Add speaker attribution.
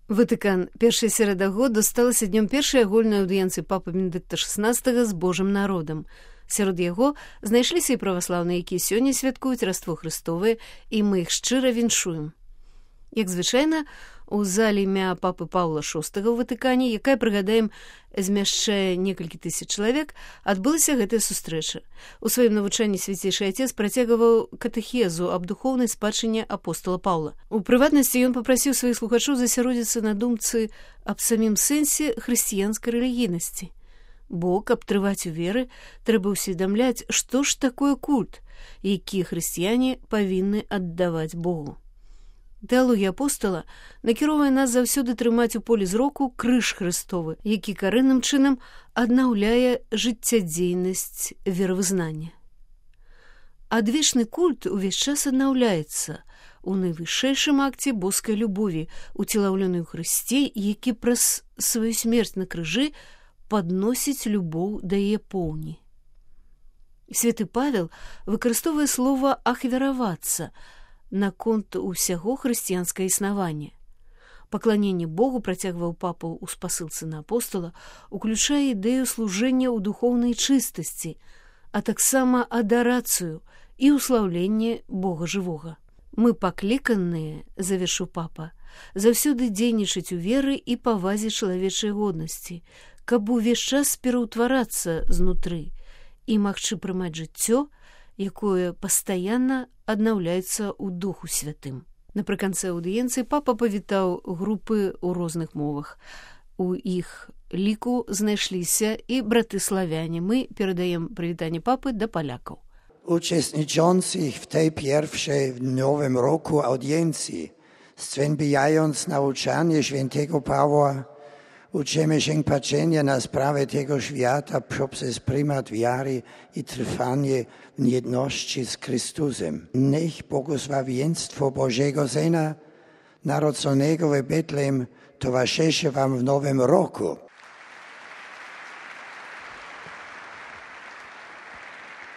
Speaker 1: Ватыкан. Першая серада года сталася днём першай агульнай аўдыенцыі папы Бенедыкта XVI з Божым народам. Сярод яго знайшліся і праваслаўныя, якія сёння святкуюць Раство Христовае, і мы іх шчыра віншуем. Як звычайна, у зале імя папы Паўла VI ў Ватыкане, якая, прыгадаем, змяшчае некалькі тысяч чалавек, адбылася гэтая сустрэча. У сваім навучанні свяцейшы Отец працягваў катэхезу аб духоўнай спадчыне апостола Паўла. У прыватнасці ён папрасіў сваіх слухачоў засяродзіцца на думцы аб самім сэнсе хрысціянскай рэлігійнасці. Бо, каб трываць у веры, трэба ўсведамляць, што ж такое культ, які хрысціяне павінны аддаваць Богу. Тэалогія апостола накіроўвае нас заўсёды трымаць у полі зроку крыж Христовы, які карэнным чынам аднаўляе жыццядзейнасць веравызнання. Адвечны культ увесь час аднаўляецца у найвышэйшым акце боскай любові, уцелаўленай у Хрысце, які праз сваю смерць на крыжы падносіць любоў да яе поўні. Святы Павел выкарыстоўвае слова «ахвяравацца» наконт усяго хрысціянскае існаванне. Пакланенне Богу, працягваў папа ў спасылцы на апостола, уключае ідэю служэння ў духоўнай чыстасці, а таксама адарацыю і ўслаўленне Бога жывога. Мы пакліканыя, завершыў папа, заўсёды дзейнічаць у веры і павазе чалавечай годнасці, каб увесь час пераўтварацца знутры і магчы прымаць жыццё, якое пастаянна аднаўляецца ў Духу Святым. Напрыканцы аўдыенцыі папа павітаў групы ў розных мовах. У іх ліку знайшліся і браты-славяне. Мы перадаем прывітанне папы да палякаў.
Speaker 2: Uczestniczących w tej pierwszej w Nowym Roku audiencji, zwiębiając nauczanie świętego Pawła, uczymy się patrzenia na sprawę tego świata poprzez prymat wiary i trwanie w jedności z Chrystusem. Niech błogosławieństwo Bożego Syna, narodzonego w Betlejem, towarzyszy wam w Nowym Roku.